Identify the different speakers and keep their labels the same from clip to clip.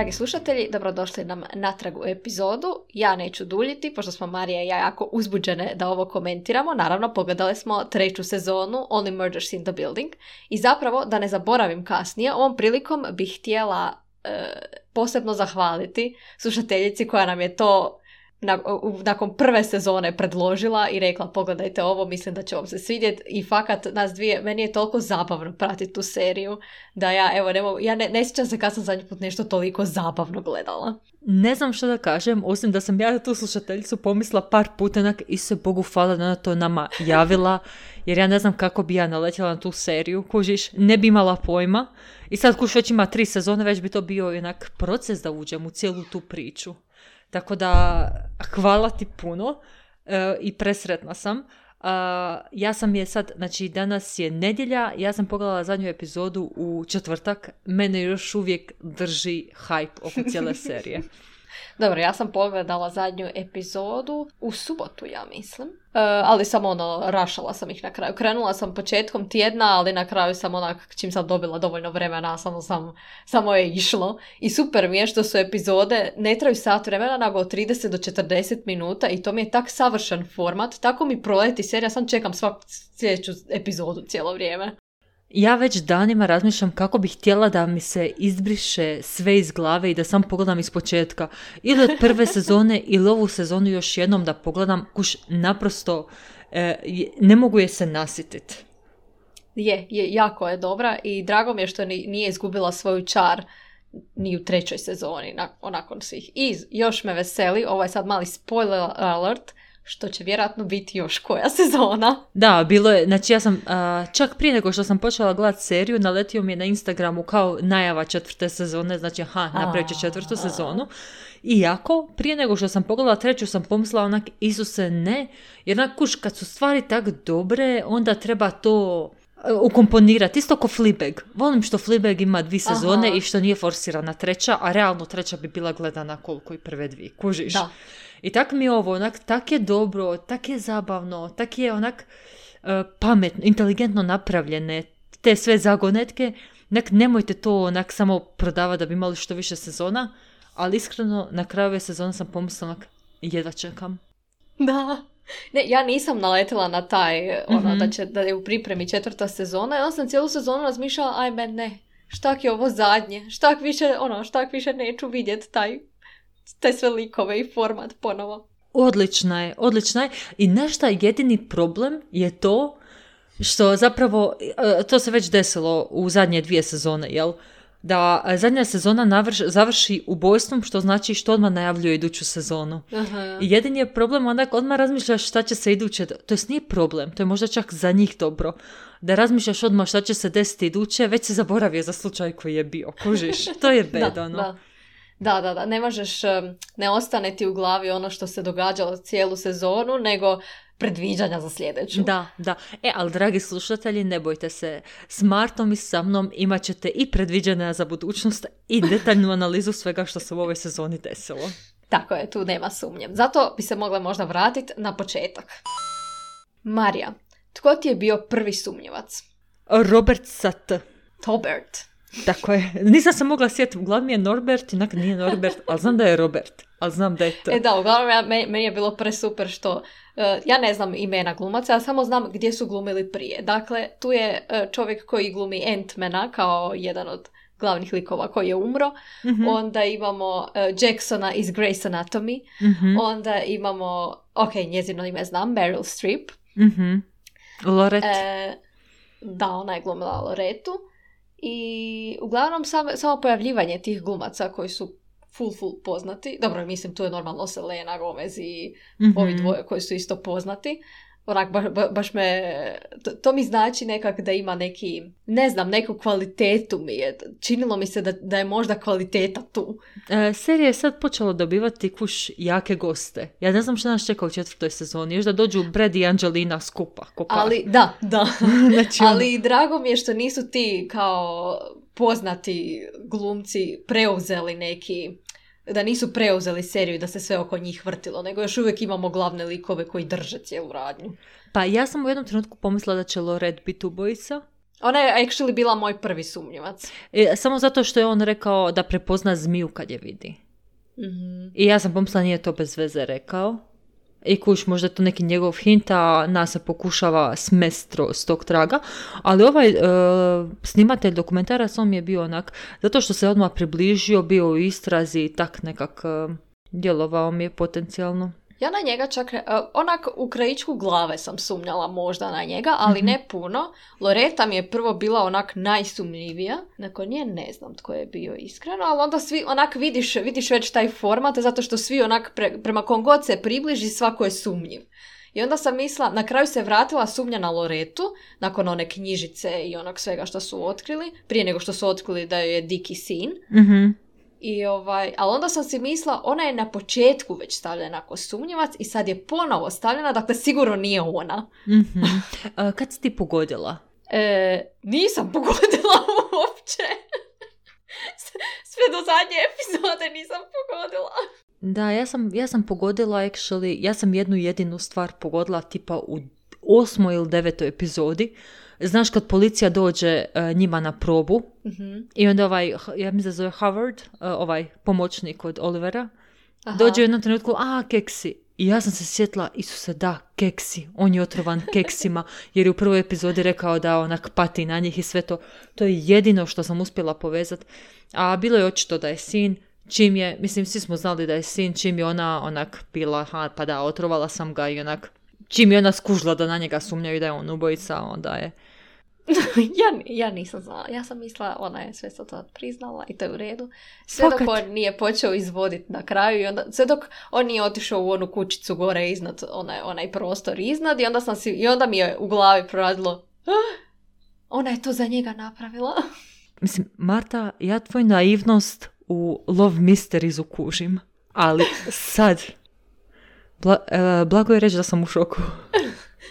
Speaker 1: Dragi slušatelji, dobrodošli nam natrag u epizodu. Ja neću duljiti, pošto smo Marija i ja jako uzbuđene da ovo komentiramo. Naravno, pogledali smo 3. sezonu Only Murders in the Building. I zapravo, da ne zaboravim kasnije, ovom prilikom bih htjela posebno zahvaliti slušateljici koja nam je to nakon prve sezone predložila i rekla pogledajte ovo, mislim da će vam se svidjeti i fakat nas dvije, meni je toliko zabavno pratiti tu seriju da ja ne sjećam se kad sam zadnji put nešto toliko zabavno gledala.
Speaker 2: Ne znam što da kažem, osim da sam ja tu slušateljicu pomislila par puta, Isuse Bogu hvala da ona to nama javila, jer ja ne znam kako bi ja naletjela na tu seriju, kužiš, ne bi imala pojma i sad kuš već ima 3 sezone, već bi to bio jednak proces da uđem u cijelu tu priču. Tako da, hvala ti puno i presretna sam. Ja sam je sad, znači danas je nedjelja, ja sam pogledala zadnju epizodu u četvrtak, mene još uvijek drži hype oko cijele serije.
Speaker 1: Dobro, ja sam pogledala zadnju epizodu u subotu, ja mislim. Ali samo rašala sam ih na kraju. Krenula sam početkom tjedna, ali na kraju sam čim sam dobila dovoljno vremena, samo je išlo. I super mi je što su epizode, ne traju sat vremena, nego od 30 do 40 minuta i to mi je tak savršen format. Tako mi proleti serija, sam čekam svaku sljedeću epizodu cijelo vrijeme.
Speaker 2: Ja već danima razmišljam kako bih htjela da mi se izbriše sve iz glave i da sam pogledam iz početka. Ili od prve sezone ili ovu sezonu još jednom da pogledam, kuš naprosto ne mogu je se nasjetiti.
Speaker 1: Jako je dobra i drago mi je što nije izgubila svoju čar ni u 3. sezoni nakon svih. I još me veseli, ovo je sad mali spoiler alert, što će vjerojatno biti još koja sezona.
Speaker 2: Da, bilo je, znači ja sam čak prije nego što sam počela gledati seriju, naletio mi je na Instagramu kao najava 4. sezone, znači napravit će 4. sezonu. Iako, prije nego što sam pogledala 3. sam pomislila Isuse ne, jer kuš, kad su stvari tak dobre, onda treba to ukomponirati, isto ko Fleabag. Volim što Fleabag ima 2 sezone i što nije forsirana 3, a realno 3 bi bila gledana koliko i prve 2, kužiš. Da. I tak mi je ovo, tak je dobro, tak je zabavno, tak je pametno, inteligentno napravljene, te sve zagonetke, nemojte to samo prodavati da bi imali što više sezona, ali iskreno na kraju ove sezone sam pomislila, jedva čekam.
Speaker 1: Da. Ne, ja nisam naletila na taj, da je u pripremi 4. sezona, ja sam cijelu sezonu razmišljala, ajme ne, štak je ovo zadnje, štak više neću vidjeti te sve likove i format ponovo.
Speaker 2: Odlična je. I nešto jedini problem je to što zapravo, to se već desilo u zadnje 2 sezone, jel? Da zadnja sezona završi ubojstvom, što znači što odmah najavljuje iduću sezonu. Aha. I jedini je problem, odmah razmišljaš šta će se iduće, to nije problem, to je možda čak za njih dobro. Da razmišljaš odmah šta će se desiti iduće, već se zaboravio za slučaj koji je bio, kužiš, to je bedano.
Speaker 1: Da, ne možeš, ne ostane ti u glavi ono što se događalo cijelu sezonu, nego predviđanja za sljedeću.
Speaker 2: Da. Ali dragi slušatelji, ne bojte se, s Martom i sa mnom imat ćete i predviđanja za budućnost i detaljnu analizu svega što se u ovoj sezoni desilo.
Speaker 1: Tako je, tu nema sumnje. Zato bi se mogla možda vratiti na početak. Marija, tko ti je bio prvi sumnjivac?
Speaker 2: Robert Sat.
Speaker 1: Tobert.
Speaker 2: Tako je. Nisam se mogla sjetiti, uglavnom je Norbert, inak nije Norbert, ali znam da je Robert, ali znam da je to.
Speaker 1: Da, uglavnom meni je bilo presuper što ja ne znam imena glumaca, ja samo znam gdje su glumili prije. Dakle, tu je čovjek koji glumi Ant-mana kao jedan od glavnih likova koji je umro. Mm-hmm. Onda imamo Jacksona iz Grey's Anatomy. Mm-hmm. Onda imamo, njezino ime znam, Meryl Streep.
Speaker 2: Mm-hmm. Lorette.
Speaker 1: Da, ona je glumila Loretu. I uglavnom samo pojavljivanje tih glumaca koji su full poznati. Dobro, mislim, tu je normalno Selena Gomez i ovi dvoje koji su isto poznati. Baš me, to mi znači nekak da ima neki, ne znam, neku kvalitetu mi je. Činilo mi se da je možda kvaliteta tu.
Speaker 2: Serija je sad počela dobivati jake goste. Ja ne znam što nas čeka u 4. sezoni. Još da dođu Brad i Angelina skupa.
Speaker 1: Ali, da. Znači, ali drago mi je što nisu ti kao poznati glumci preuzeli neki, da nisu preuzeli seriju da se sve oko njih vrtilo, nego još uvijek imamo glavne likove koji drže cijelu radnju.
Speaker 2: Pa ja sam u jednom trenutku pomislila da će Lorette biti ubojica.
Speaker 1: Ona je actually bila moj prvi sumnjivac.
Speaker 2: Samo zato što je on rekao da prepozna zmiju kad je vidi.
Speaker 1: Mm-hmm.
Speaker 2: I ja sam pomislila nije to bez veze rekao. I kuš, možda je to neki njegov hint, a nas se pokušava smest s tog traga. Ali ovaj snimatelj dokumentarac, on mi je bio onak, zato što se odmah približio, bio u istrazi i tak nekak djelovao mi je potencijalno.
Speaker 1: Ja na njega čak, onak u krajičku glave sam sumnjala možda na njega, ali ne puno. Loreta mi je prvo bila onak najsumnjivija. Nakon nje ne znam tko je bio iskreno, ali onda svi onak vidiš već taj format, zato što svi onak prema kom god se približi svako je sumnjiv. I onda sam mislila, na kraju se vratila sumnja na Loretu, nakon one knjižice i onog svega što su otkrili, prije nego što su otkrili da je Dickie sin.
Speaker 2: Mhm.
Speaker 1: Ali onda sam si mislila, ona je na početku već stavljena kao sumnjivac i sad je ponovo stavljena, dakle sigurno nije ona.
Speaker 2: Mm-hmm. Kad si ti pogodila?
Speaker 1: Nisam pogodila uopće. Sve do zadnje epizode nisam pogodila.
Speaker 2: Da, ja sam pogodila actually, ja sam jednu jedinu stvar pogodila tipa u 8. ili 9. epizodi. Znaš kad policija dođe njima na probu i onda ja mislim da zove Howard, ovaj pomoćnik od Olivera, dođe u jednom trenutku, keksi. I ja sam se sjetila, Isuse, da, keksi. On je otrovan keksima, jer je u prvoj epizodi rekao da onak pati na njih i sve to. To je jedino što sam uspjela povezati. A bilo je očito da je sin, čim je, mislim, svi smo znali da je sin, čim je ona onak bila, pa da, otrovala sam ga i onak, čim je ona skužila da na njega sumnjaju da je on ubojica, onda je...
Speaker 1: ja nisam znala. Ja sam mislila, ona je sve to priznala i to je u redu. Sve dok on nije počeo izvoditi na kraju i onda, sve dok on nije otišao u onu kućicu gore iznad, onaj prostor iznad i onda mi je u glavi proradilo, ona je to za njega napravila.
Speaker 2: Mislim, Marta, ja tvoju naivnost u Love Mysteries kužim, ali sad blago je reći da sam u šoku.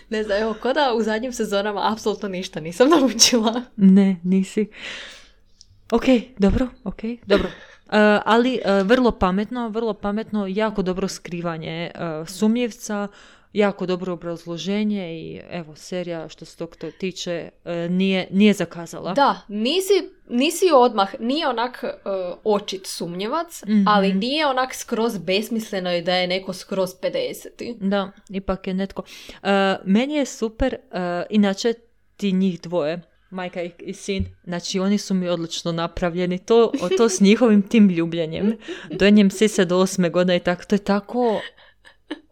Speaker 1: Ne znam, evo, ko da u zadnjim sezonama apsolutno ništa nisam naučila.
Speaker 2: Ne, nisi. Ok, dobro. Ali vrlo pametno, jako dobro skrivanje sumnjivca, jako dobro obrazloženje i evo, serija što se tog tiče nije zakazala.
Speaker 1: Da, nisi odmah, nije onak očit sumnjivac, ali nije onak skroz besmisleno i da je neko skroz 50.
Speaker 2: Da, ipak je netko. Meni je super, inače ti njih dvoje, majka i sin, znači oni su mi odlično napravljeni, to s njihovim tim ljubljenjem, dojenjem sise do 8. godine i tako, to je tako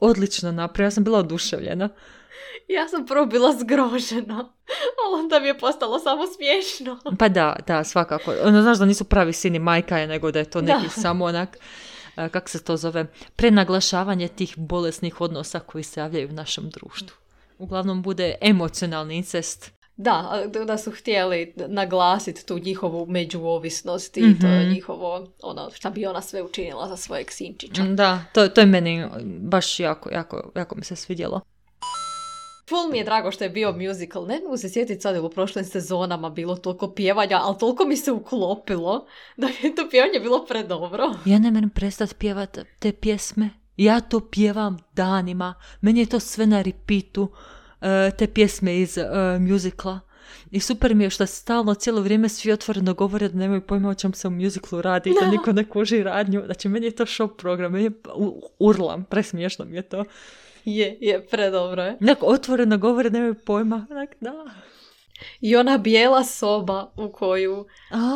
Speaker 2: odlično napravljeno, ja sam bila oduševljena.
Speaker 1: Ja sam prvo bila zgrožena, ali onda mi je postalo samo smiješno.
Speaker 2: Pa da, svakako. Znaš da nisu pravi sin i majka je, nego da je to neki samo onak, kako se to zove, prenaglašavanje tih bolesnih odnosa koji se javljaju u našem društvu. Uglavnom bude emocionalni incest.
Speaker 1: Da su htjeli naglasiti tu njihovu međuovisnost i to je njihovo, šta bi ona sve učinila za svojeg sinčića.
Speaker 2: Da, to je meni baš jako mi se svidjelo.
Speaker 1: Full mi je drago što je bio musical. Ne mogu se sjetiti sad u prošlim sezonama bilo toliko pjevanja, ali toliko mi se uklopilo da je to pjevanje bilo predobro.
Speaker 2: Ja ne moram prestati pjevati te pjesme. Ja to pjevam danima. Meni je to sve na repeatu. Te pjesme iz musicala. I super mi je što stalno cijelo vrijeme svi otvoreno govore da nemaju pojma o čem se u musiclu radi, da niko ne kuži radnju. Znači, meni je to show program, meni je urlam, presmiješno mi je to.
Speaker 1: Je, predobro je.
Speaker 2: Neko otvoreno govore, nemaju pojma. Da.
Speaker 1: I ona bijela soba u koju...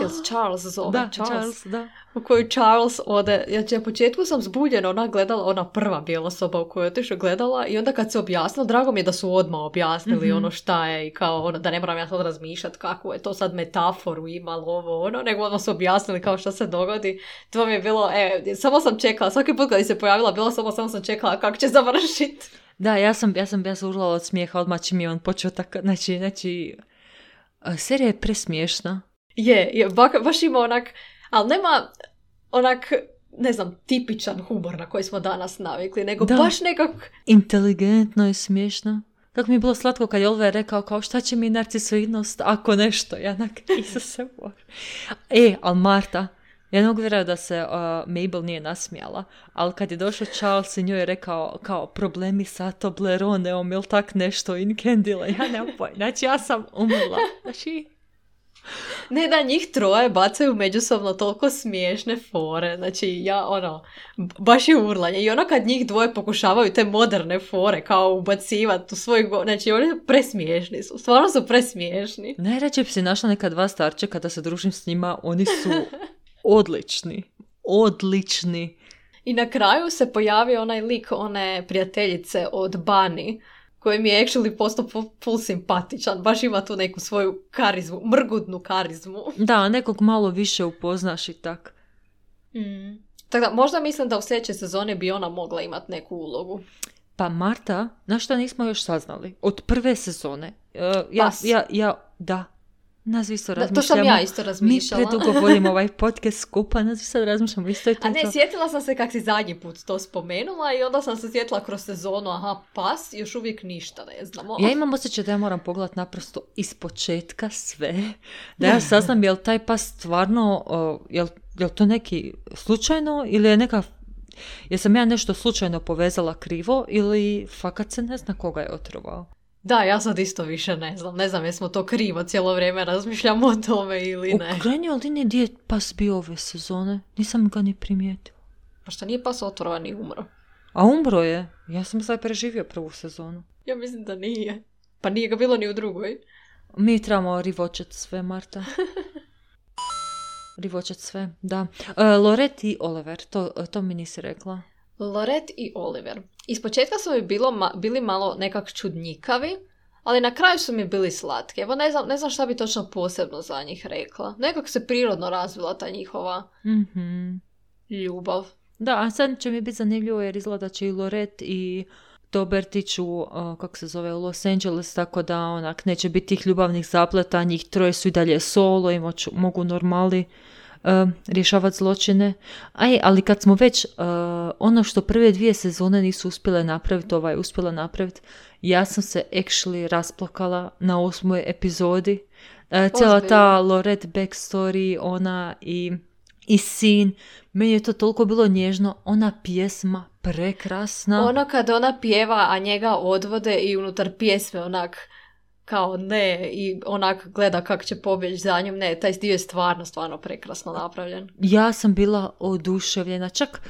Speaker 1: Jel se Charles zove?
Speaker 2: Da, Charles, da.
Speaker 1: U koju Charles ode... Ja na početku sam zbuljena, ona gledala, ona prva bijela soba u kojoj je otišla gledala i onda kad se objasnilo, drago mi je da su odmah objasnili ono šta je i kao da ne moram ja sad razmišljati kako je to sad metaforu imalo nego odmah su objasnili kao šta se dogodi. To mi je bilo, samo sam čekala, svaki put kad se pojavila bila soba, samo sam čekala kako će završiti.
Speaker 2: Da, ja sam urlala od smijeha odmah čim je on počeo tako, znači serija je presmiješna.
Speaker 1: Je, baš ima onak, ali nema onak, ne znam, tipičan humor na koji smo danas navikli, nego baš nekako...
Speaker 2: Inteligentno i smiješno. Kako mi je bilo slatko kad je Oliver rekao kao šta će mi narcisoidnost ako nešto, ja onak, Isuse Bože. Ali Marta, Ja ne mogu vjerovati da se Mabel nije nasmijala, ali kad je došao Charles i njoj je rekao kao problemi sa Tobleroneom ili tak nešto in Candila, ja nemam pojma. Znači ja sam umrla. Znači...
Speaker 1: Ne da njih troje bacaju međusobno toliko smiješne fore, znači ja baš je urlanje i kad njih dvoje pokušavaju te moderne fore kao ubacivati u svoj znači oni presmiješni su, stvarno su presmiješni.
Speaker 2: Najrađe bi si našla neka dva starčeka da se družim s njima, oni su odlični.
Speaker 1: I na kraju se pojavio onaj lik one prijateljice od Bunny, koji mi je actually postao full simpatičan. Baš ima tu neku svoju karizmu, mrgudnu karizmu.
Speaker 2: Da, nekog malo više upoznaš i tak.
Speaker 1: Tako da, možda mislim da u sljedećoj sezoni bi ona mogla imati neku ulogu.
Speaker 2: Pa Marta, na što nismo još saznali? Od prve sezone. Nas isto razmišljamo.
Speaker 1: To sam ja isto razmišljala.
Speaker 2: Mi predugo volimo ovaj podcast skupa, nas isto razmišljamo isto je to.
Speaker 1: A ne, sjetila sam se kak si zadnji put to spomenula i onda sam se sjetila kroz sezonu, pas, još uvijek ništa ne znamo.
Speaker 2: Ja imam osjećaj da ja moram pogledati naprosto ispočetka sve. Da ja saznam je li taj pas stvarno, je li to neki slučajno ili je neka... Jesam ja nešto slučajno povezala krivo ili fakat se ne zna koga je otrovao?
Speaker 1: Da, ja sad isto više ne znam. Ne znam jesmo to krivo cijelo vrijeme razmišljamo o tome ili ne.
Speaker 2: U krajnjoj liniji gdje je pas bio ove sezone? Nisam ga ni primijetila.
Speaker 1: Pa što nije pas otrovan i umro?
Speaker 2: A umro je? Ja sam sad preživio prvu sezonu.
Speaker 1: Ja mislim da nije. Pa nije ga bilo ni u drugoj.
Speaker 2: Mi trebamo rivočet sve, Marta. Rivočet sve, da. Lorette i Oliver, to mi nisi rekla.
Speaker 1: Lorette i Oliver. Ispočetka su mi bili malo nekak čudnjikavi, ali na kraju su mi bili slatki. Evo ne znam šta bi točno posebno za njih rekla. Nekako se prirodno razvila ta njihova ljubav.
Speaker 2: Da, a sad će mi biti zanimljivo jer izgleda će i Lorette i Dobertić u Los Angeles, tako da onak neće biti tih ljubavnih zapleta, njih troje su i dalje solo i mogu normali rješavati zločine. Ali kad smo već ono što prve 2 sezone nisu uspjele napraviti, uspjela napraviti, ja sam se actually rasplakala na 8. epizodi. Cijela ta Lorette backstory, ona i sin, meni je to toliko bilo nježno, ona pjesma prekrasna.
Speaker 1: Ono kad ona pjeva, a njega odvode i unutar pjesme onak kao ne i onak gleda kako će pobjeći za njom. Ne, taj dio je stvarno prekrasno napravljen.
Speaker 2: Ja sam bila oduševljena. Čak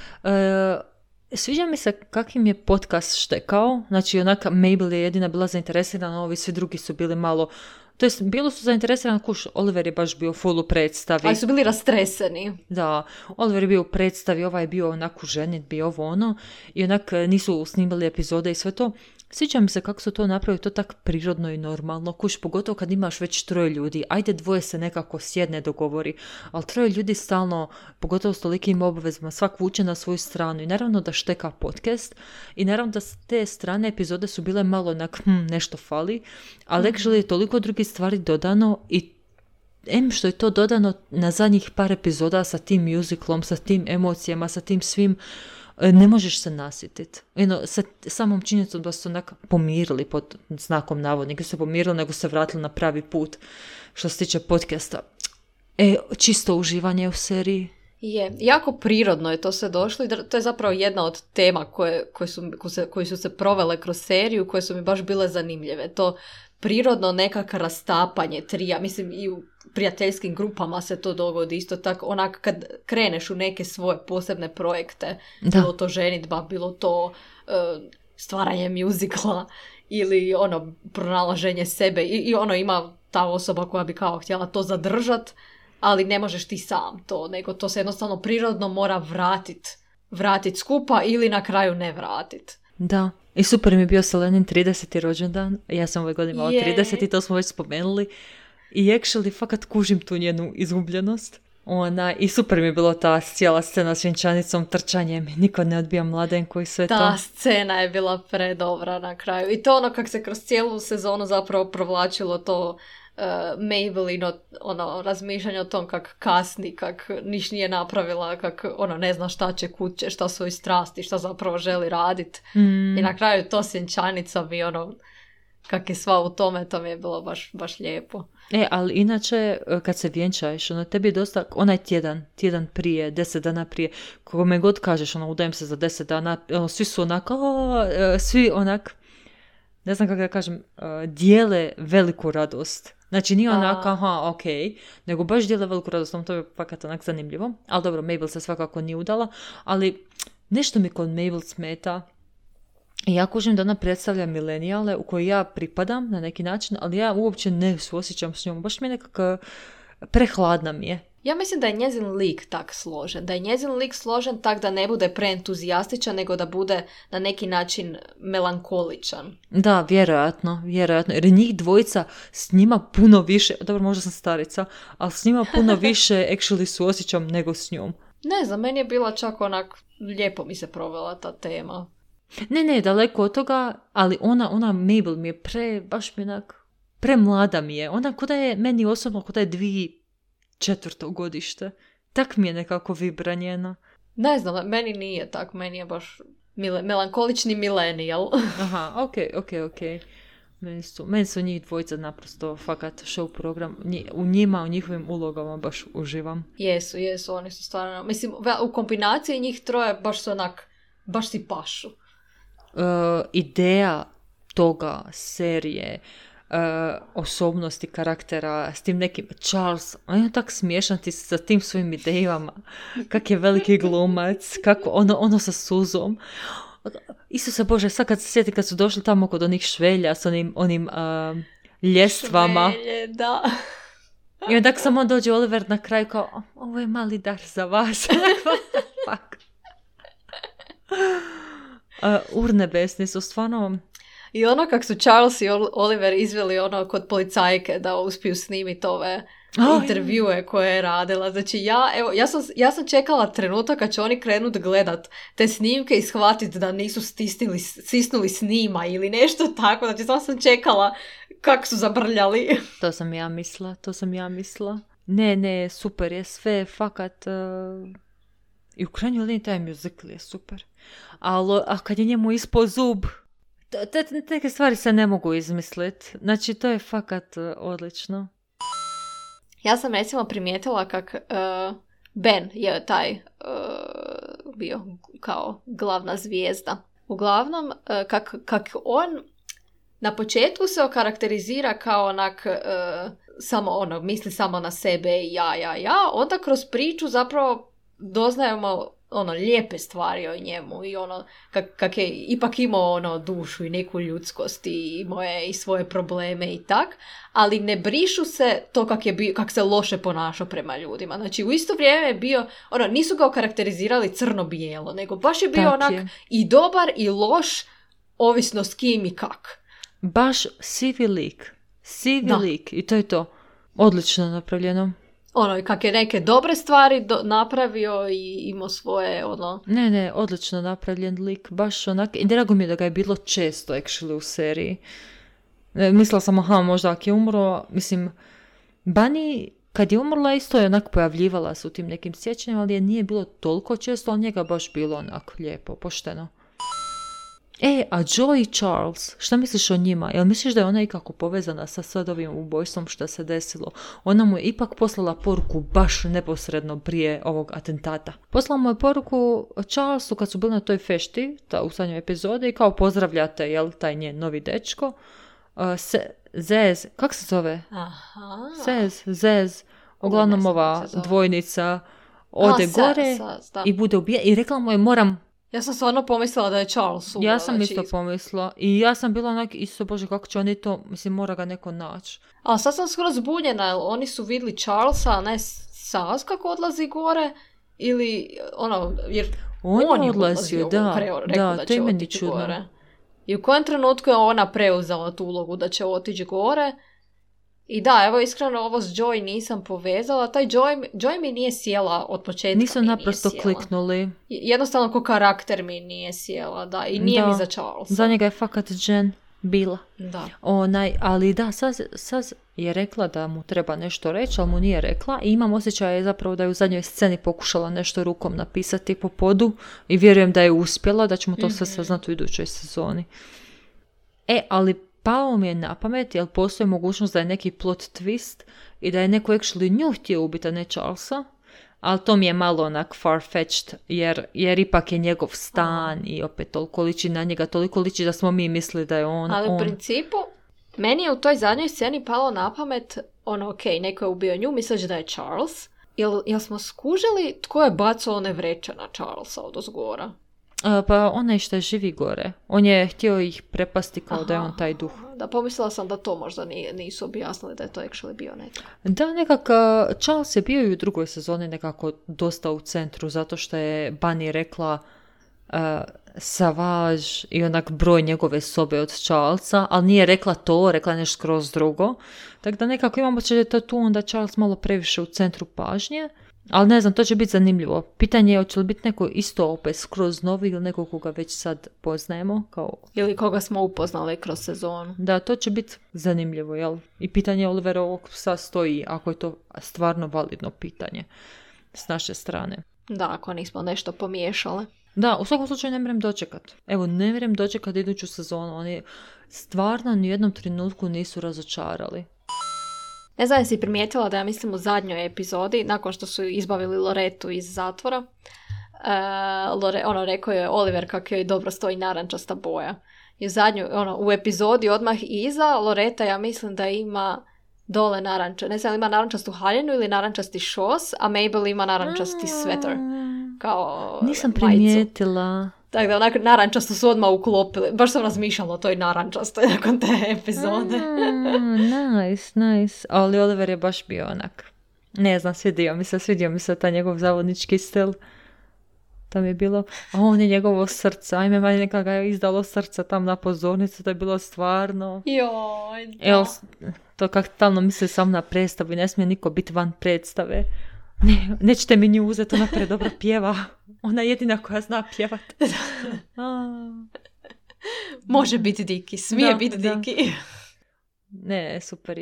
Speaker 2: sviđa mi se kakvim je podcast štekao. Znači onak Mabel je jedina bila zainteresirana, ovi svi drugi su bili malo... To jest, bilo su zainteresirani, Oliver je baš bio full u predstavi.
Speaker 1: Ali su bili rastreseni.
Speaker 2: Da, Oliver je bio u predstavi, ovaj je bio onako ženitbi, ovo ono. I onak nisu snimali epizode i sve to. Sviđa mi se kako su to napravili, to tak prirodno i normalno. Pogotovo kad imaš već 3 ljudi. Ajde 2 se nekako sjedne, dogovori. Ali 3 ljudi stalno, pogotovo s tolikim obavezama, svak vuče na svoju stranu. I naravno da šteka podcast. I naravno da te strane epizode su bile malo onak, nešto fali. Ali actually je toliko drugih stvari dodano i što je to dodano na zadnjih par epizoda sa tim musicalom, sa tim emocijama, sa tim svim, ne možeš se nasjetiti. Sa samom činjenicom da su onak pomirili pod znakom navodnika, se pomirili nego se vratili na pravi put što se tiče podcasta. Čisto uživanje u seriji.
Speaker 1: Je, jako prirodno je to sve došlo i to je zapravo jedna od tema koje su se provele kroz seriju, koje su mi baš bile zanimljive. To prirodno nekako rastapanje trija, mislim i u prijateljskim grupama se to dogodi isto tako, onak kad kreneš u neke svoje posebne projekte, bilo to ženidba, bilo to stvaranje muzikla ili pronalaženje sebe i ima ta osoba koja bi kao htjela to zadržat, ali ne možeš ti sam to, nego to se jednostavno prirodno mora vratit skupa ili na kraju ne vratit.
Speaker 2: Da. I super mi je bio Selenin 30. rođendan. Ja sam ove godine imala 30 i to smo već spomenuli. I actually fakat kužim tu njenu izgubljenost. I super mi je bilo ta cijela scena s vjenčanicom, trčanjem. Niko ne odbija mladenku i sve to.
Speaker 1: Ta scena je bila predobra na kraju. I to kak se kroz cijelu sezonu zapravo provlačilo to Mabelino razmišljanje o tom kak kasni, kak niš nije napravila, kak ne zna šta će, kud će, šta svoji strasti, šta zapravo želi radit. I na kraju to s vjenčanicom i kak je sva u tome, to mi je bilo baš lijepo.
Speaker 2: Ali inače, kad se vjenčaješ, tebi je dosta, onaj tjedan prije, 10 dana prije, kome god kažeš, udajem se za 10 dana, svi su svi onak, ne znam kako da kažem, dijele veliku radost. Znači nije onak, nego baš dijele veliku radost, to je fakat onak zanimljivo. Ali dobro, Mabel se svakako nije udala, ali nešto mi kod Mabel smeta. Ja kužim da ona predstavlja milenijale u koji ja pripadam na neki način, ali ja uopće ne suosjećam s njom. Baš mi je nekako prehladna mi je.
Speaker 1: Ja mislim da je njezin lik tak složen. Da je njezin lik složen tak da ne bude preentuzijastičan, nego da bude na neki način melankoličan.
Speaker 2: Da, vjerojatno. Jer njih dvojica s njima puno više, dobro, možda sam starica, ali s njima puno više actually suosjećam nego s njom.
Speaker 1: Ne znam, meni je bila čak onak, lijepo mi se provela ta tema.
Speaker 2: Ne, daleko od toga, ali ona Mabel mi je baš mi onak, premlada mi je. Ona kuda je, meni osobno kuda je 2004. godište. Tak mi je nekako vibra njena.
Speaker 1: Ne znam, meni nije tak, meni je baš melankolični milenijal.
Speaker 2: Aha, ok. Meni su njih dvojica naprosto fakat show program. U njima, u njihovim ulogama baš uživam.
Speaker 1: Jesu, oni su stvarno, mislim, u kombinaciji njih troje baš su onak, baš si pašu.
Speaker 2: Ideja toga serije, osobnosti karaktera, s tim nekim Charles, on je tak smiješan ti sa tim svojim idejama, kak je veliki glumac, kako ono sa suzom. Isuse Bože, sad kad se sjeti kad su došli tamo kod onih švelja s onim ljestvama.
Speaker 1: Švelje, da.
Speaker 2: I onda samo dođe Oliver na kraju kao, ovo je mali dar za vas. Fuck. Urnebesni su stvarno.
Speaker 1: I ono kak su Charles i Oliver izveli kod policajke da uspiju snimiti ove intervjue koje je radila. Znači ja sam čekala trenutak kad će oni krenut gledat te snimke i shvatiti da nisu stisnuli snima ili nešto tako. Znači samo sam čekala kak su zabrljali.
Speaker 2: To sam ja mislila. Ne, super je sve, fakat. I u krajnjoj liniji taj musical je super. A kad je njemu ispod zub, neke stvari se ne mogu izmisliti. Znači, to je fakat odlično.
Speaker 1: Ja sam recimo primijetila kak Ben je taj bio kao glavna zvijezda. Uglavnom, kak on na početku se okarakterizira kao onak samo misli samo na sebe i ja. Onda kroz priču zapravo doznajemo lijepe stvari o njemu i kak je ipak imao dušu i neku ljudskost i imao je i svoje probleme i tak, ali ne brišu se to kak se loše ponašao prema ljudima. Znači u isto vrijeme je bio, nisu ga okarakterizirali crno-bijelo, nego baš je bio i dobar i loš, ovisno s kim i kak.
Speaker 2: Baš sivi lik i to je to. Odlično napravljeno.
Speaker 1: Kak je neke dobre stvari napravio i imao svoje,
Speaker 2: Ne, odlično napravljen lik, baš onak, i drago mi je da ga je bilo često, actually, u seriji. Mislila sam, možda ako je umro, mislim, Bunny, kad je umrla, isto je onak pojavljivala se u tim nekim sjećanjima, ali je nije bilo toliko često, ali njega baš bilo onak lijepo, pošteno. A Joy i Charles, šta misliš o njima? Jel misliš da je ona ikako povezana sa sad ovim ubojstvom što se desilo? Ona mu je ipak poslala poruku baš neposredno prije ovog atentata. Poslala mu je poruku Charlesu kad su bili na toj fešti, u zadnjoj epizodi, i kao pozdravljate, jel, taj njen novi dečko. Zez, kak se zove? Zez, uglavnom ova dvojnica ode gore i bude ubija. I rekla mu je,
Speaker 1: ja sam stvarno pomislila da je Charles umro.
Speaker 2: Ja sam isto pomislila. I ja sam bila onak, isto Bože, kako će oni to, mislim, mora ga neko naći.
Speaker 1: A sad sam skoro zbunjena, oni su vidjeli Charlesa, a ne Saz kako odlazi gore, ili, jer on je odlazio,
Speaker 2: da, to je meni čudno.
Speaker 1: Gore. I u kojem trenutku je ona preuzela tu ulogu da će otići gore. I da, evo iskreno ovo s Joy nisam povezala. Taj Joy mi nije sjela od početka.
Speaker 2: Nisu naprosto kliknuli.
Speaker 1: Jednostavno ko karakter mi nije sjela, da. I nije mi za Charlesa.
Speaker 2: Za njega je fakat Jen bila.
Speaker 1: Da.
Speaker 2: Ali da, sad je rekla da mu treba nešto reći, ali mu nije rekla. I imam osjećaj zapravo da je u zadnjoj sceni pokušala nešto rukom napisati po podu. I vjerujem da je uspjela, da ćemo to sve saznati u idućoj sezoni. Ali palo mi je na pamet, jer postoji mogućnost da je neki plot twist i da je neko actually nju htio ubiti, a ne Charlesa. Ali to mi je malo onak far-fetched, jer ipak je njegov stan i opet toliko liči na njega, toliko liči da smo mi mislili da je on.
Speaker 1: Ali u principu, meni je u toj zadnjoj sceni palo na pamet, neko je ubio nju, misleći da je Charles. Jel smo skužili tko je bacao one vreće na Charlesa od ozgora?
Speaker 2: Pa onaj što je živi gore. On je htio ih prepasti kao da je on taj duh.
Speaker 1: Da, pomislila sam da to možda nisu objasnili da je to actually bio netko.
Speaker 2: Da, nekako Charles je bio i u drugoj sezoni nekako dosta u centru, zato što je Bunny rekla Savage i onak broj njegove sobe od Charlesa, ali nije rekla to, rekla je nešto skroz drugo. Tako da nekako imamo će to tu onda Charles malo previše u centru pažnje. Ali ne znam, to će biti zanimljivo. Pitanje je hoće li biti neko isto opet skroz novi ili neko koga već sad poznajemo.
Speaker 1: Ili koga smo upoznali kroz sezonu.
Speaker 2: Da, to će biti zanimljivo, jel? I pitanje Oliverovog psa stoji, ako je to stvarno validno pitanje s naše strane.
Speaker 1: Da, ako nismo nešto pomiješale.
Speaker 2: Da, u svakom slučaju ne mrem dočekat. Evo, ne mrem dočekat iduću sezonu. Oni stvarno ni u jednom trenutku nisu razočarali.
Speaker 1: Ne znam, si primijetila da ja mislim u zadnjoj epizodi, nakon što su izbavili Loretu iz zatvora, rekao je Oliver kako joj dobro stoji narančasta boja. I u epizodi odmah iza Loreta ja mislim da ima dole ne znam, ima narančastu haljinu ili narančasti šos, a Mabel ima narančasti sveter. Kao
Speaker 2: nisam primijetila.
Speaker 1: Tako da onak narančasto su odmah uklopili. Baš sam razmišljala o toj narančastoj nakon te epizode.
Speaker 2: Nice. Ali Oliver je baš bio onak. Ne znam, svidio mi se taj njegov zavodnički stil. Tam je bilo, on je njegovo srce. Ajme, manje neka ga je izdalo srce tam na pozornicu. To je bilo stvarno.
Speaker 1: Joj, da.
Speaker 2: Evo, to kak talno misli sam na predstavu i ne smije niko biti van predstave. Nećete mi nju uzeti, ona predobro pjeva. Ona je jedina koja zna pjevat.
Speaker 1: Može biti Diki, smije biti Diki.
Speaker 2: Ne, super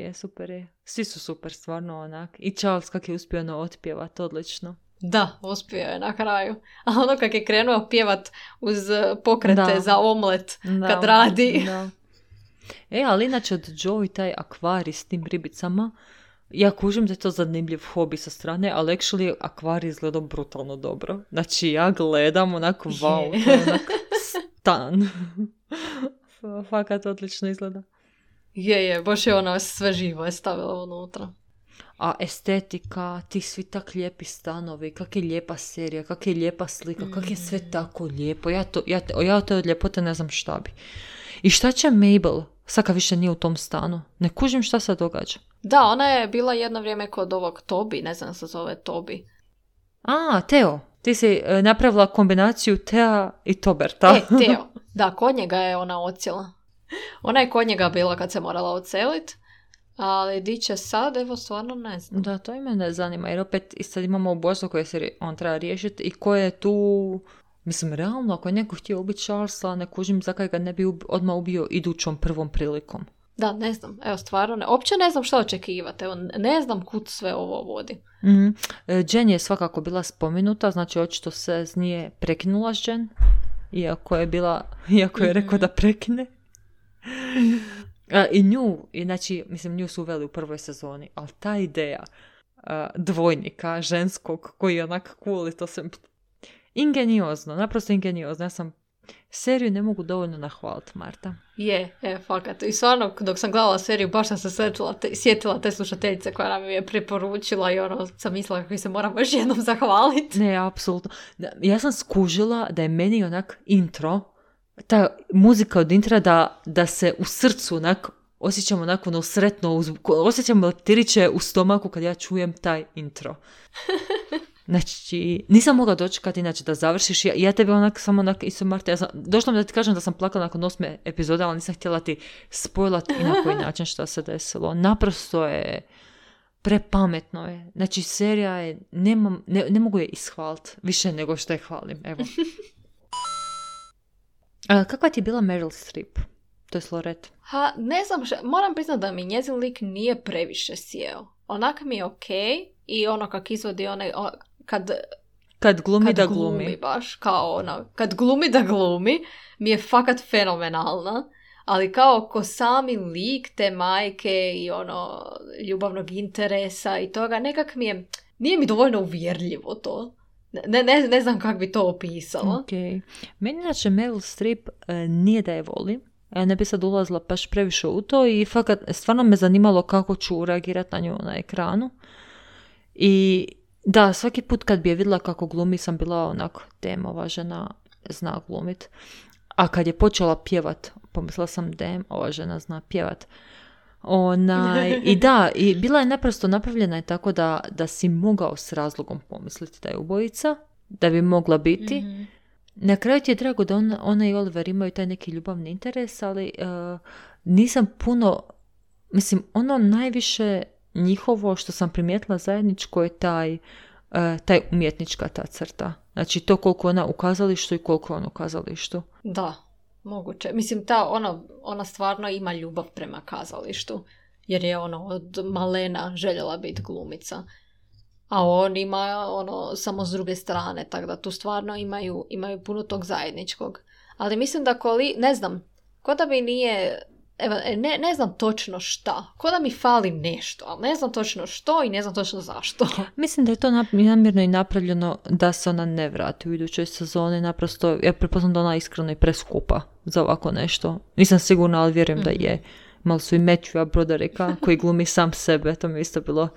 Speaker 2: je. Svi su super, stvarno onak. I Charles kak je uspio otpjevat, odlično.
Speaker 1: Da, uspio je na kraju. A ono kak je krenuo pjevat uz pokrete za omlet kad radi. Da.
Speaker 2: Ali inače od Joe i taj akvarij s tim ribicama, ja kužim da je to zanimljiv hobi sa strane, ali actually akvarij izgleda brutalno dobro. Znači ja gledam onako, wow, to je onak stan. Fakat odlično izgleda.
Speaker 1: Je, baš je ona sve živo je stavila unutra.
Speaker 2: A estetika, ti svi tak lijepi stanovi, kak je lijepa serija, kak je lijepa slika, kak je sve tako lijepo. Ja od te od ljepote ne znam šta bi. I šta će Mabel? Saka više nije u tom stanu. Ne kužim šta se događa.
Speaker 1: Da, ona je bila jedno vrijeme kod ovog Toby, ne znam se zove Toby.
Speaker 2: Teo. Ti si napravila kombinaciju Tea i Toberta.
Speaker 1: Teo. Da, kod njega je ona odsjela. Ona je kod njega bila kad se morala odselit, ali di će sad, evo stvarno ne znam.
Speaker 2: Da, to i mene zanima, jer opet sad imamo ubojstvo koje se on treba riješiti i ko je tu... Mislim, realno, ako je neko htio ubiti Charlesa, ne kužim zakaj ga ne bi odmah ubio idućom prvom prilikom.
Speaker 1: Da, ne znam. Evo, stvarno, uopće ne znam što očekivati. Evo, ne znam kud sve ovo vodi.
Speaker 2: Mm-hmm. Jen je svakako bila spomenuta, znači očito se nije prekinula s Jen, iako je rekao da prekine. I nju, znači, mislim, nju su uveli u prvoj sezoni, ali ta ideja dvojnika ženskog koji je onak cool i to se... Ingeniozno, naprosto ingeniozno. Ja sam seriju ne mogu dovoljno nahvaliti, Marta.
Speaker 1: Fakat. I stvarno, dok sam gledala seriju, baš sam se sjetila te slušateljice koja nam je preporučila i sam mislila kako se moramo još jednom zahvaliti.
Speaker 2: Ne, apsolutno. Ja sam skužila da je meni onak intro, ta muzika od intra da se u srcu onak osjećam onako sretno, osjećam leptiriće u stomaku kad ja čujem taj intro. Znači, nisam mogla dočekati inače da završiš. Ja tebe isto Marta, došla mi da ti kažem da sam plakala nakon 8. epizode, ali nisam htjela ti spojlati i na koji način šta se desilo. Naprosto je prepametno je. Znači, serija je, ne mogu je ishvaliti više nego što je hvalim. Evo. Kakva ti je bila Meryl Streep? To je Lorette.
Speaker 1: Ne znam, moram priznati da mi njezin lik nije previše sjeo. Onak mi je okej i ono kak izvodi one... Kad glumi baš, kao ono, kad glumi da glumi, mi je fakat fenomenalna, ali kao ko sami lik te majke i ono ljubavnog interesa i toga, nekak nije mi dovoljno uvjerljivo to. Ne znam kako bi to opisala.
Speaker 2: Okay. Meni inače Meryl Streep nije da je volim. Ja ne bi sad ulazila baš previše u to i fakat stvarno me zanimalo kako ću reagirati na nju na ekranu. I da, svaki put kad bi je vidjela kako glumi sam bila onako, ova žena zna glumit. A kad je počela pjevat, pomislila sam ova žena zna pjevat. I da, i bila je naprosto napravljena je tako da si mogao s razlogom pomisliti da je ubojica, da bi mogla biti. Mm-hmm. Na kraju ti je drago da ona i Oliver imaju taj neki ljubavni interes, ali nisam puno, mislim, ono najviše njihovo što sam primijetila zajedničko je taj umjetnička ta crta. Znači to koliko ona u kazalištu i koliko on u kazalištu.
Speaker 1: Da, moguće. Mislim, ona stvarno ima ljubav prema kazalištu, jer je od malena željela biti glumica. A on ima samo s druge strane, tako da tu stvarno imaju puno tog zajedničkog. Ali mislim da ne znam, ko da mi nije, ne znam točno šta, ko da mi fali nešto, ali ne znam točno što i ne znam točno zašto.
Speaker 2: Mislim da je to namjerno i napravljeno da se ona ne vrati u idućoj sezoni, naprosto, ja prepoznam da ona iskreno i preskupa za ovako nešto. Nisam sigurna, ali vjerujem da je. Malo su i Matthewa Broderika koji glumi sam sebe, to mi je isto bilo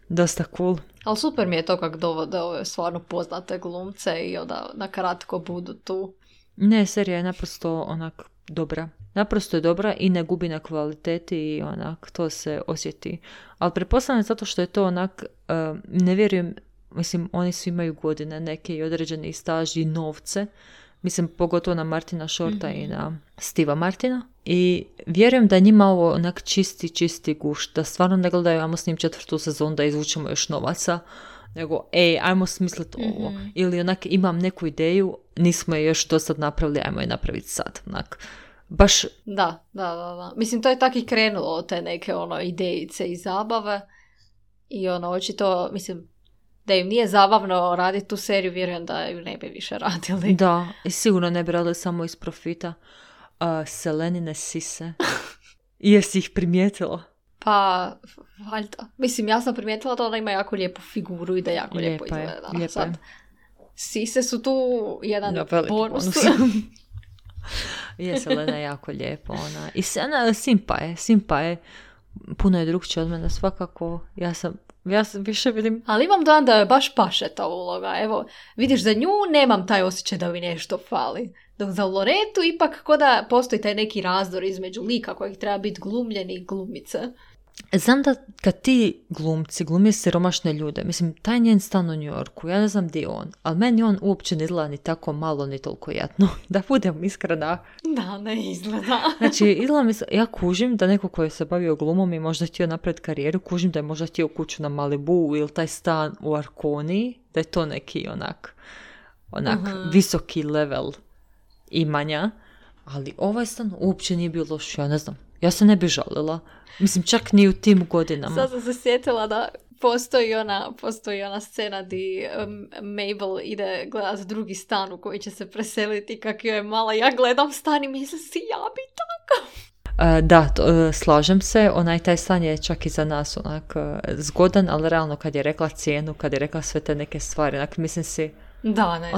Speaker 2: dosta cool.
Speaker 1: Ali super mi je to kako dovode ove stvarno poznate glumce i onda na kratko budu tu.
Speaker 2: Ne, serija je naprosto onak dobra. Naprosto je dobra i ne gubi na kvaliteti i onak to se osjeti. Ali pretpostavljam zato što je to onak, ne vjerujem, mislim oni svi imaju godine neke i određeni staž i novce. Mislim pogotovo na Martina Shorta i na Steva Martina. I vjerujem da njima ovo onak čisti gušt, da stvarno ne gledaju ajmo s njim 4. sezonu da izvučemo još novaca, nego ajmo smisliti ovo. Ili onak imam neku ideju, nismo je još do sad napravili, ajmo je napraviti sad. Onak, baš...
Speaker 1: Da. Mislim, to je tako i krenulo od te neke idejice i zabave i očito, mislim, da im nije zabavno raditi tu seriju, vjerujem da ju ne bi više radili.
Speaker 2: Da, i sigurno ne bi radili samo iz profita. Selenine sise. Jesi ih primijetila?
Speaker 1: Pa, valjda. Mislim, ja sam primijetila da ona ima jako lijepu figuru i da jako lijepo izgleda.
Speaker 2: Lijepa je.
Speaker 1: Sise su tu jedan bonus.
Speaker 2: Je, Selena je jako lijepo. I Simpa je. Puno je drugčija od mene, svakako. Ja više vidim...
Speaker 1: Ali imam dojam da je baš paše ta uloga. Evo, vidiš, za nju nemam taj osjećaj da mi nešto fali. Dok za Loretu ipak ko da postoji taj neki razdor između lika kojih treba biti glumljeni i glumice.
Speaker 2: Znam da kad ti glumci glumi siromašne ljude, mislim, taj njen stan u New Yorku, ja ne znam gdje je on, ali meni on uopće ne izgleda ni tako malo, ni toliko jadno. Da budem iskrena.
Speaker 1: Da, ne izgleda.
Speaker 2: Znači, ja kužim da neko koji se bavio glumom i možda htio napraviti karijeru, kužim da je možda htio kuću na Malibu ili taj stan u Arkoniji, da je to neki onak visoki level imanja, ali ovaj stan uopće nije bio loš, ja ne znam. Ja se ne bi žalila. Mislim, čak ni u tim godinama.
Speaker 1: Sad sam se sjetila da postoji ona scena di Mabel ide gledati drugi stan u koji će se preseliti kak joj je mala. Ja gledam stan i mislim si ja bi tako.
Speaker 2: Slažem se. Taj stan je čak i za nas onak zgodan, ali realno kad je rekla cijenu, kad je rekla sve te neke stvari, onak mislim si
Speaker 1: da, ne,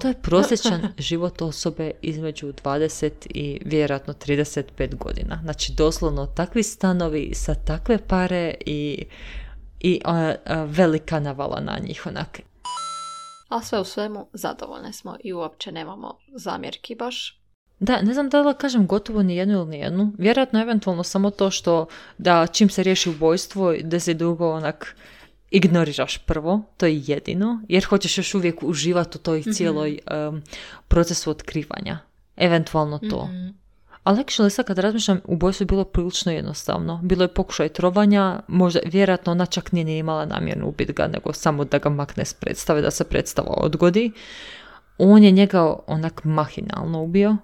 Speaker 2: to je prosječan život osobe između 20 i vjerojatno 35 godina. Znači, doslovno takvi stanovi sa takve pare i velika navala na njih onak.
Speaker 1: A sve u svemu zadovoljne smo i uopće nemamo zamjerki baš.
Speaker 2: Da, ne znam da li kažem gotovo ni jednu ili ni jednu. Vjerojatno eventualno samo to što da čim se riješi ubojstvo da se dugo onak ignoriraš prvo, to je jedino, jer hoćeš još uvijek uživati u toj cijeloj procesu otkrivanja. Eventualno to. Ali actually sad kad razmišljam, ubojstvo je bilo prilično jednostavno. Bilo je pokušaj trovanja, možda vjerojatno ona čak nije imala namjerno ubiti ga, nego samo da ga makne s predstave, da se predstava odgodi. On je njega onak mahinalno ubio.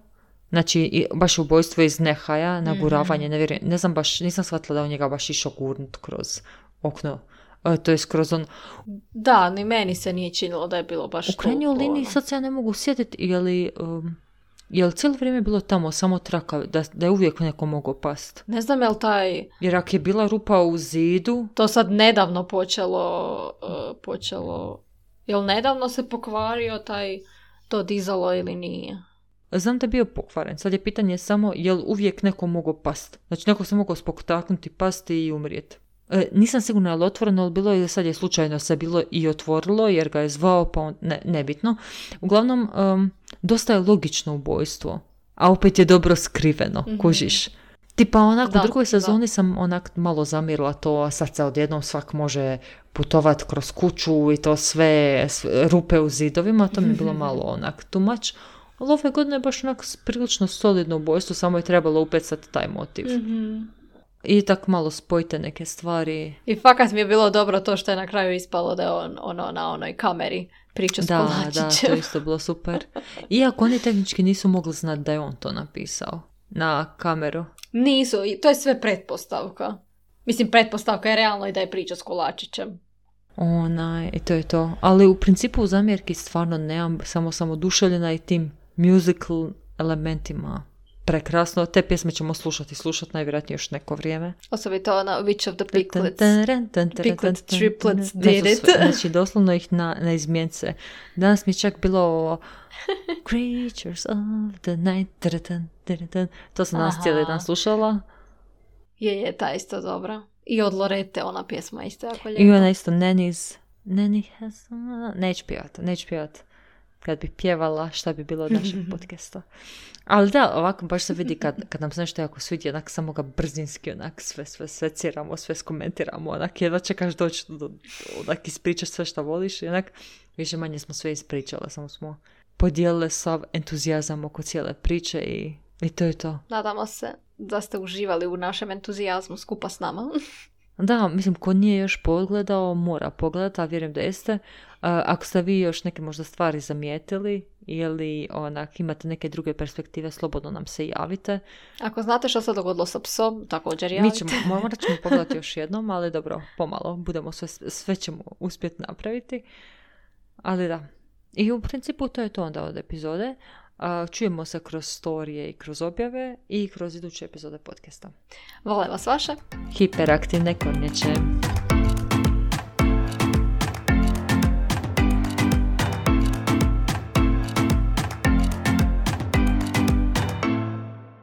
Speaker 2: Znači, baš ubojstvo iz nehaja, naguravanje, ne znam baš, nisam shvatila da on njega baš išao gurnut kroz okno. To je skroz on...
Speaker 1: Da, ni meni se nije činilo da je bilo baš
Speaker 2: u krajnjoj liniji, sad se ja ne mogu sjetiti, je li Je li cijelo vrijeme bilo tamo samo traka, da je uvijek neko mogao past?
Speaker 1: Ne znam je li taj...
Speaker 2: Jer ako je bila rupa u zidu...
Speaker 1: To sad nedavno počelo... Jel nedavno se pokvario to dizalo ili nije?
Speaker 2: Znam da je bio pokvaren. Sad je pitanje samo je li uvijek neko mogao past. Znači neko se mogao spoktaknuti, pasti i umrijeti. Nisam sigurna je li otvoreno, ali bilo je sad je slučajno se bilo i otvorilo jer ga je zvao, pa on, nebitno. Uglavnom, dosta je logično ubojstvo, a opet je dobro skriveno, kužiš. Tipa onak u drugoj sezoni sam onak malo zamirila to, a sad se odjednom svak može putovat kroz kuću i to sve rupe u zidovima, to mi je bilo malo onak too much. Ali ove godine je baš onak prilično solidno ubojstvo, samo je trebalo upecati taj motiv. I tak malo spojite neke stvari.
Speaker 1: I fakat mi je bilo dobro to što je na kraju ispalo da je on na onoj kameri priča s kolačićem.
Speaker 2: Da, to je isto bilo super. Iako oni tehnički nisu mogli znati da je on to napisao na kameru.
Speaker 1: Nisu, to je sve pretpostavka. Mislim, pretpostavka je realno i da je priča s kolačićem.
Speaker 2: I to je to. Ali u principu u zamjerki stvarno nemam, samo oduševljena i tim musical elementima. Prekrasno, te pjesme ćemo slušati najvjerojatnije još neko vrijeme.
Speaker 1: Osobito ona Witch of the Picklets triplets did it.
Speaker 2: Znači doslovno ih na izmjence. Danas mi je čak bilo Creatures of the Night. To sam danas cijeli dan slušala.
Speaker 1: Je, ta isto dobra. I od Lorete ona pjesma isto jako lijepa.
Speaker 2: I ona isto Nanny has... Neću pjevat. Kad bi pjevala, šta bi bilo od našeg podcasta. Ali da, ovako baš se vidi kad nam se nešto jako svidi, onak samo ga brzinski, onak sve ciramo, sve skomentiramo, onak jedva čekaš doći onak ispričaš sve što voliš i onak više manje smo sve ispričale, samo smo podijelile sav entuzijazam oko cijele priče i to je to.
Speaker 1: Nadamo se da ste uživali u našem entuzijazmu skupa s nama.
Speaker 2: Da, mislim, ko nije još pogledao, mora pogledati, a vjerujem da jeste. Ako ste vi još neke možda stvari zamijetili ili onak imate neke druge perspektive, slobodno nam se javite.
Speaker 1: Ako znate što se dogodilo sa psom, također javite.
Speaker 2: Morat ćemo pogledati još jednom, ali dobro, pomalo, budemo sve ćemo uspjeti napraviti. Ali da, i u principu to je to onda od epizode. Čujemo se kroz storije i kroz objave i kroz iduće epizode podcasta.
Speaker 1: Vole vas vaše
Speaker 2: hiperaktivne kornjače.